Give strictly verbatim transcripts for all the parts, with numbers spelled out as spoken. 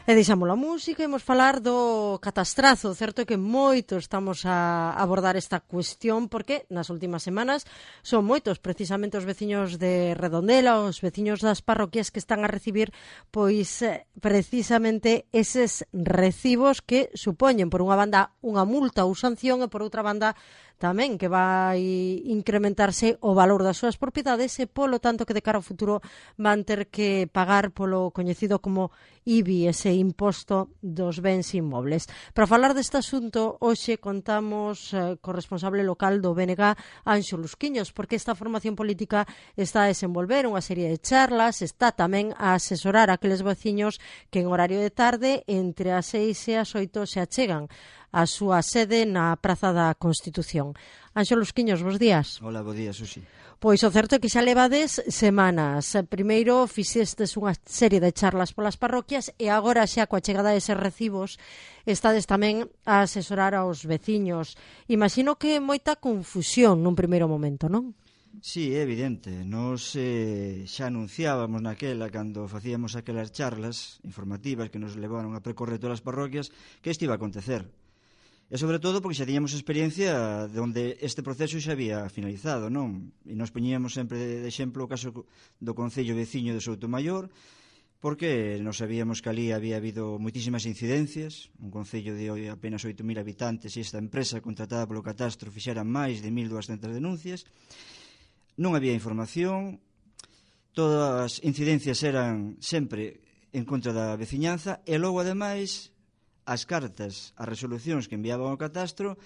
E deixamos a música e imos falar do catastrazo. Certo é que moito estamos a abordar esta cuestión porque nas últimas semanas son moitos precisamente os veciños de Redondela, os veciños das parroquias que están a recibir pois precisamente eses recibos que supoñen por unha banda unha multa ou sanción e por outra banda tamén que vai incrementarse o valor das súas propiedades e polo tanto que de cara ao futuro van ter que pagar polo coñecido como I B I, ese imposto dos bens inmobles. Para falar deste asunto, hoxe contamos eh, co responsable local do B N G, Anxo Lusquiños, porque esta formación política está a desenvolver unha serie de charlas, está tamén a asesorar a aqueles veciños que en horario de tarde entre as seis e as oito se achegan a súa sede na Praza da Constitución. Anxo Lusquiños, bos días. Hola, bo día, Susi. Pois o certo é que xa levades semanas. Primeiro fixestes unha serie de charlas polas parroquias e agora xa coa chegada de eses recibos estades tamén a asesorar aos veciños. Imagino que moita confusión nun primeiro momento, non? Sí, é evidente. Nos eh, xa anunciábamos naquela, cando facíamos aquelas charlas informativas que nos levaron a percorrer todas as parroquias, que isto iba a acontecer. E sobre todo porque xa tiñamos experiencia de onde este proceso xa había finalizado, non? E nos poñíamos sempre de exemplo o caso do Concello veciño de Soutomaior, porque nos sabíamos que ali había habido moitísimas incidencias, un concello de apenas oito mil habitantes e esta empresa contratada polo catastro fixera máis de mil duascentas denuncias, non había información, todas as incidencias eran sempre en contra da veciñanza e logo ademais as cartas, as resolucións que enviaban ao catastro,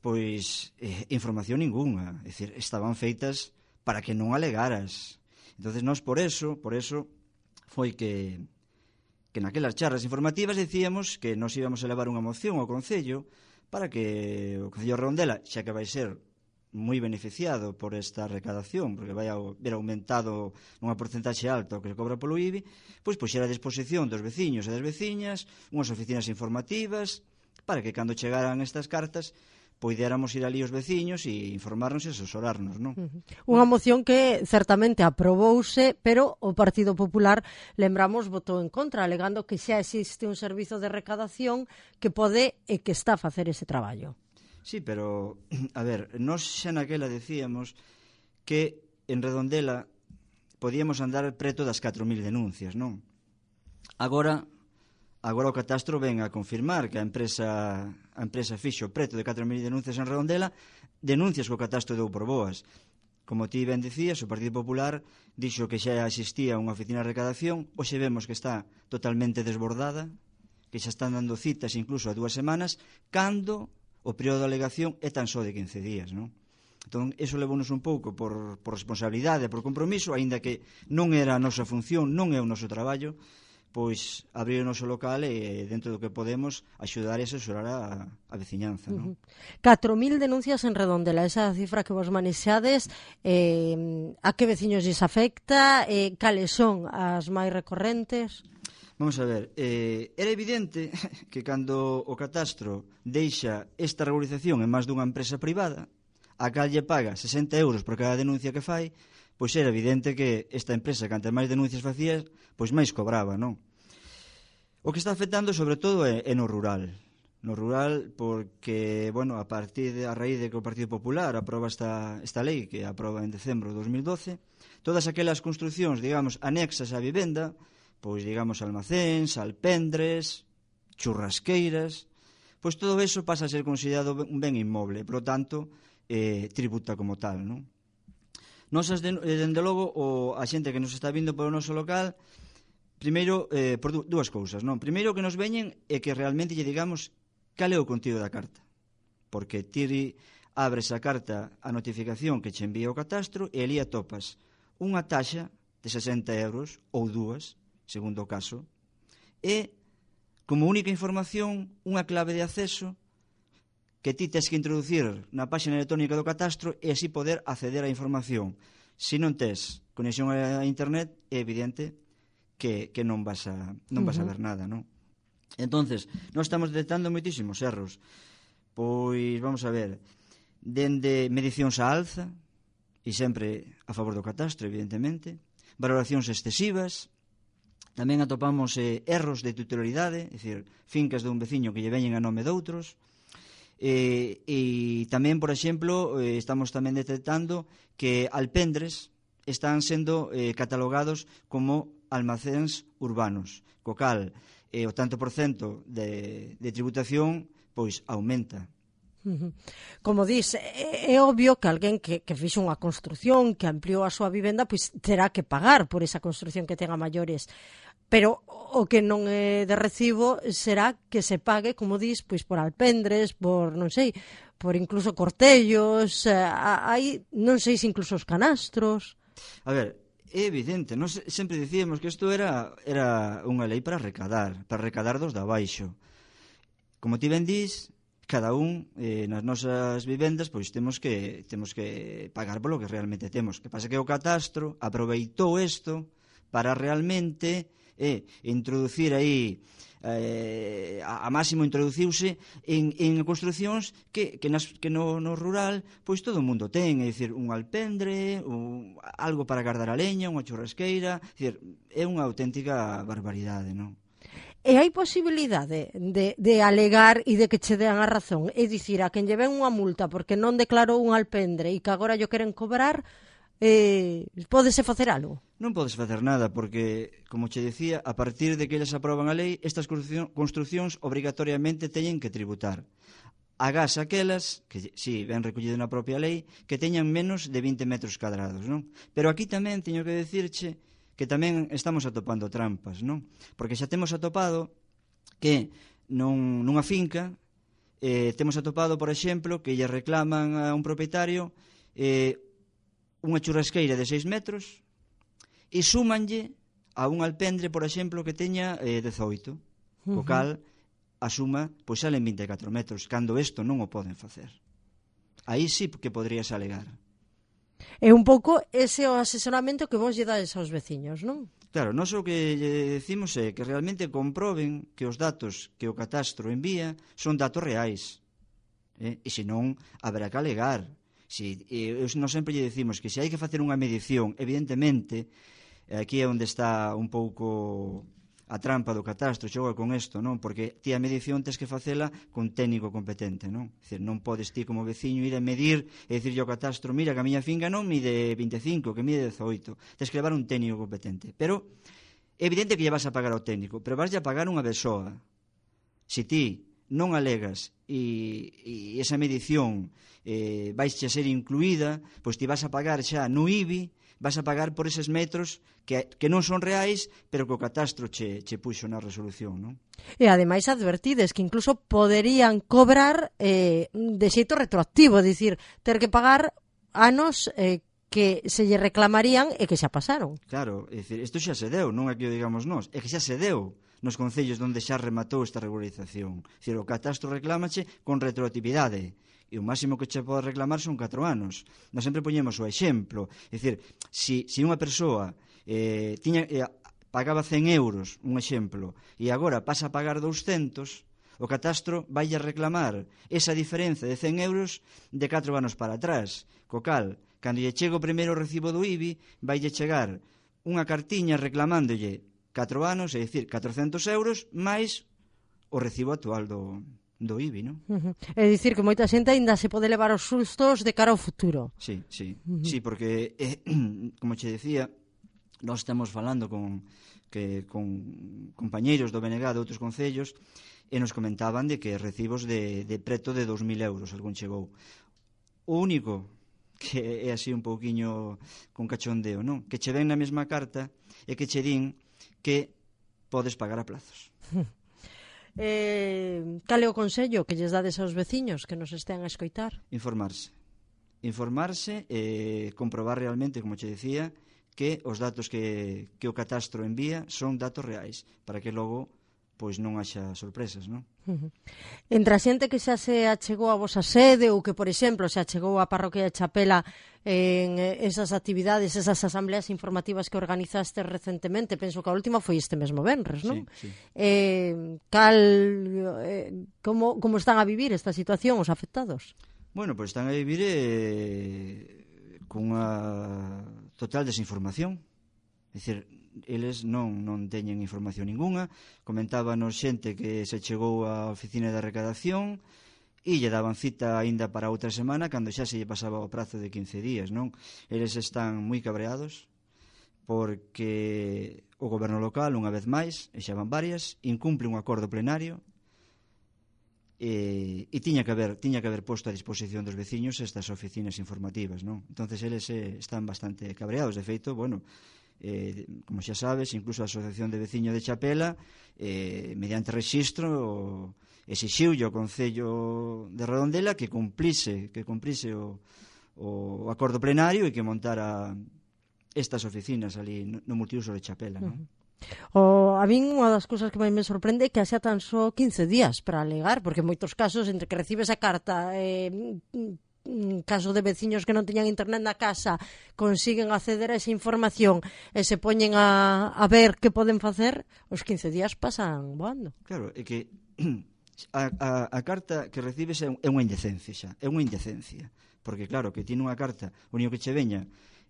pois eh, información ninguna, é dicir, estaban feitas para que non alegaras. Entonces nós por eso, por eso foi que que naquelas charlas informativas decíamos que nós íbamos a levar unha moción ao Concello para que o Concello de Redondela, xa que vai ser moi beneficiado por esta recadación, porque vai a ver aumentado unha porcentaxe alta o que se cobra polo I B I, pois puxera a disposición dos veciños e das veciñas unhas oficinas informativas para que cando chegaran estas cartas poidéramos ir ali os veciños e informarnos e asesorarnos, non? Uh-huh. Unha moción que certamente aprobouse, pero o Partido Popular, lembramos, votou en contra, alegando que xa existe un servizo de recadación que pode e que está a facer ese traballo. Sí, pero, a ver, nós xa naquela decíamos que en Redondela podíamos andar preto das catro mil denuncias, non? Agora, agora o catastro ven a confirmar que a empresa a empresa fixo preto de catro mil denuncias en Redondela, denuncias que o catastro deu por boas. Como ti ben dicías, o Partido Popular dixo que xa existía unha oficina de recadación, hoxe vemos que está totalmente desbordada, que xa están dando citas incluso a dúas semanas, cando o período de alegación é tan só de quince días, non? Entón, eso levounos un pouco por, por responsabilidade, por compromiso, aínda que non era a nosa función, non é o noso traballo, pois abrir o noso local e, dentro do que podemos, axudar e asesorar a, a veciñanza, non? Uh-huh. catro mil denuncias en Redondela, esa cifra que vos manexades, eh, a que veciños lles afecta, eh, cales son as máis recorrentes? Vamos a ver, eh, era evidente que cando o catastro deixa esta regularización en máis dunha empresa privada, a cal lle paga sesenta euros por cada denuncia que fai, pois era evidente que esta empresa, cantas máis denuncias facía, pois máis cobraba, non? O que está afectando sobre todo é, é no rural. No rural porque, bueno, a partir de, a raíz de que o Partido Popular aproba esta, esta lei, que aproba en decembro de dos mil doce, todas aquelas construcións, digamos, anexas á vivenda, pois digamos almacéns, alpendres, churrasqueiras, pois todo eso pasa a ser considerado un ben inmoble, por lo tanto, eh, tributa como tal, non? Nosas, dende logo, o, a xente que nos está vindo polo noso local, primeiro, eh, por dúas cousas, non? Primeiro que nos veñen é que realmente lle digamos cal é o contido da carta, porque ti abres a carta a notificación que che envía o catastro e ali atopas unha taxa de sesenta euros ou dúas, segundo o caso, e, como única información, unha clave de acceso que ti tes que introducir na página electrónica do catastro e así poder acceder á información. Se non tes conexión a internet, é evidente que, que non vas a non vas a ver nada, non? Entonces, nós estamos detectando moitísimos erros. Pois, vamos a ver, dende medicións á alza, e sempre a favor do catastro, evidentemente, valoracións excesivas, Tamén atopamos eh, erros de titularidade, é dicir, fincas dun veciño que lle veñen a nome doutros. E, e tamén, por exemplo, eh, estamos tamén detectando que alpendres están sendo eh, catalogados como almacéns urbanos, co cal eh, o tanto por cento de, de tributación pois aumenta. Como dis, é, é obvio que alguén que, que fixo unha construción, que ampliou a súa vivenda, pois terá que pagar por esa construción que ten a maiores. Pero o que non é de recibo será que se pague, como dis, pois por alpendres, por, non sei, por incluso cortellos, hai, non sei se incluso os canastros. A ver, é evidente, nós sempre dicíamos que isto era, era unha lei para recadar, para recadar dos de abaixo. Como ti ben dis, cada un eh, nas nosas vivendas pois temos que temos que pagar polo que realmente temos. Que pasa que o catastro aproveitou isto para realmente eh, introducir aí eh, a, a máximo introduciuse en, en construcións que, que, nas, que no, no rural pois todo o mundo ten, é dicir, un alpendre, un, algo para guardar a leña, unha churrasqueira, é dicir, é unha auténtica barbaridade, non? E hai posibilidade de, de alegar e de que che dean a razón? É dicir, a quen lle ven unha multa porque non declarou un alpendre e que agora yo queren cobrar, eh, pódese facer algo? Non podes facer nada porque, como che decía, a partir de que eles aproban a lei, estas construcións obrigatoriamente teñen que tributar. Agás aquelas, que si, ben recollido na propia lei, que teñan menos de vinte metros cadrados, non? Pero aquí tamén teño que decirche que tamén estamos atopando trampas, non? Porque xa temos atopado que non, nunha finca eh, temos atopado, por exemplo, que lle reclaman a un propietario eh, unha churrasqueira de seis metros e súmanlle a un alpendre, por exemplo, que teña eh, dezoito, co cal a suma pois salen vinte e catro metros, cando isto non o poden facer. Aí sí que podrías alegar. É un pouco ese o asesoramento que vos lle dades aos veciños, non? Claro, nós o que lle decimos é que realmente comproben que os datos que o catastro envía son datos reais. Eh? E senón, haberá que alegar. Si, eh, nós sempre lle decimos que se hai que facer unha medición, evidentemente, aquí é onde está un pouco a trampa do catastro, xoga con isto, non? Porque ti a medición tens que facela con técnico competente, non? É dicir, non podes ti como veciño ir a medir e dicirlle ao catastro, mira que a miña finca non mide vinte e cinco, que mide dezoito. Tens que levar un técnico competente. Pero é evidente que lle vas a pagar ao técnico, pero vas a pagar unha besoa. Se ti non alegas e, e esa medición eh, vais a ser incluída, pois ti vas a pagar xa no I B I, vas a pagar por eses metros que, que non son reais, pero que o catastro che, che puxo na resolución, non? E ademais advertides que incluso poderían cobrar eh, de xeito retroactivo, dicir, ter que pagar anos eh, que se lle reclamarían e que xa pasaron. Claro, é dicir, isto xa se deu, non é que o digamos nós, é que xa se deu nos concellos onde xa rematou esta regularización. É dicir, o catastro reclámache con retroactividade. E o máximo que che pode reclamar son catro anos. Nós sempre poñemos o exemplo. É dicir, se si, si unha persoa eh, tiña, eh, pagaba cen euros, un exemplo, e agora pasa a pagar douscentos, o catastro vai a reclamar esa diferenza de cen euros de catro anos para atrás. Co cal, cando lle chega o primeiro recibo do I B I, vai lle chegar unha cartiña reclamándolle catro anos, é dicir, catrocentos euros, máis o recibo actual do... do I B I, non? Uh -huh. É dicir que moita xente aínda se pode levar os sustos de cara ao futuro. Sí, sí, uh -huh. sí, porque eh, como che decía, nós estamos falando con que con compañeiros do B N G de outros concellos e nos comentaban de que recibos de, de preto de dos mil euros algún chegou. O único que é así un pouquiño con cachondeo, non? Que che ven na mesma carta e que che din que podes pagar a plazos. Eh, cal é o consello que lles dades aos veciños que nos estean a escoitar? Informarse. Informarse e eh, comprobar realmente, como che decía, que os datos que, que o catastro envía son datos reais, para que logo pois non haxa sorpresas, non? Uh -huh. Entre a xente que xa se achegou a vosa sede ou que, por exemplo, se achegou a parroquia de Chapela en esas actividades, esas asambleas informativas que organizaste recentemente, penso que a última foi este mesmo venres, non? Sí, sí. Eh, cal, eh, como, como están a vivir esta situación os afectados? Bueno, pois están a vivir eh, con unha total desinformación. É dicir, eles non, non teñen información ninguna. Comentábanos xente que se chegou á oficina de recadación e lle daban cita aínda para outra semana cando xa se lle pasaba o prazo de quince días, non? Eles están moi cabreados porque o goberno local, unha vez máis, e xa van varias, incumple un acordo plenario e, e tiña que haber tiña que haber posto a disposición dos veciños estas oficinas informativas, non? Entonces eles eh, están bastante cabreados. De feito, bueno, eh, como xa sabes, incluso a Asociación de Veciños de Chapela, eh, mediante rexistro, exixiu o Concello de Redondela que cumplise que cumplise o, o acordo plenario e que montara estas oficinas ali no multiuso de Chapela, non? Uh-huh. O, a min unha das cousas que máis me sorprende é que xa tan só quince días para alegar, porque en moitos casos entre que recibes a carta eh, en caso de veciños que non teñan internet na casa consiguen acceder a esa información e se poñen a, a ver que poden facer, os quince días pasan voando. Claro, é que a, a, a carta que recibes é, un, é unha indecencia xa, é unha indecencia, porque claro, que tiene unha carta, o único que che veña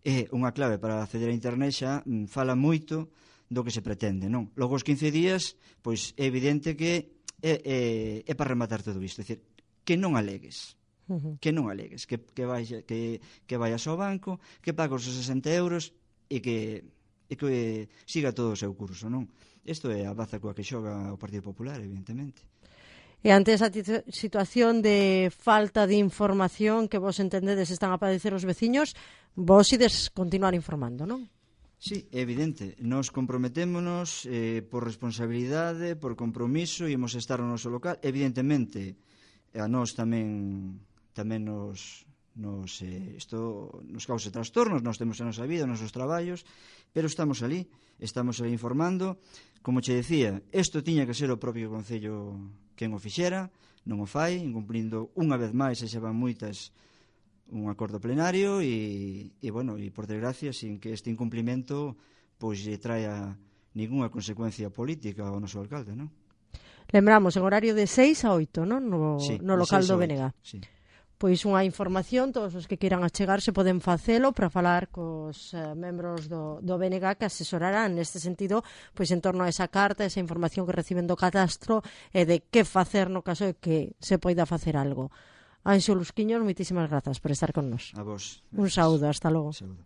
é unha clave para acceder a internet xa mm, fala moito do que se pretende, non? Logo os quince días, pois é evidente que é, é, é para rematar todo isto, é dicir, que non alegues, uh-huh. que non alegues, que, que, vaya, que, que vayas ao banco, que pagas os sesenta euros e que, e que siga todo o seu curso, non? Isto é a baza coa que xoga o Partido Popular, evidentemente. E ante esa situación de falta de información que vos entendedes están a padecer os veciños, vos ides continuar informando, non? Sí, é evidente, nos comprometémonos eh, por responsabilidade, por compromiso, e imos estar no noso local. Evidentemente, a nós tamén tamén nos nos eh, isto nos cause trastornos, nós temos a nosa vida, os nosos traballos, pero estamos ali, estamos ali informando. Como che decía, isto tiña que ser o propio Concello quen o fixera, non o fai, incumplindo unha vez máis, e xa van moitas, un acordo plenario e, e bueno, e por desgracia sin que este incumplimento pois lle traia ningunha consecuencia política ao noso alcalde, non? Lembramos, en horario de seis a oito, non? No, sí, no local do B N G. Sí. Pois unha información, todos os que queiran achegarse poden facelo para falar cos eh, membros do, do B N G que asesorarán neste sentido pois en torno a esa carta, esa información que reciben do catastro e de que facer no caso de que se poida facer algo. Anxo Lusquiños, moitísimas grazas por estar con nos. A vos. Un saúdo, hasta logo. Saúdo.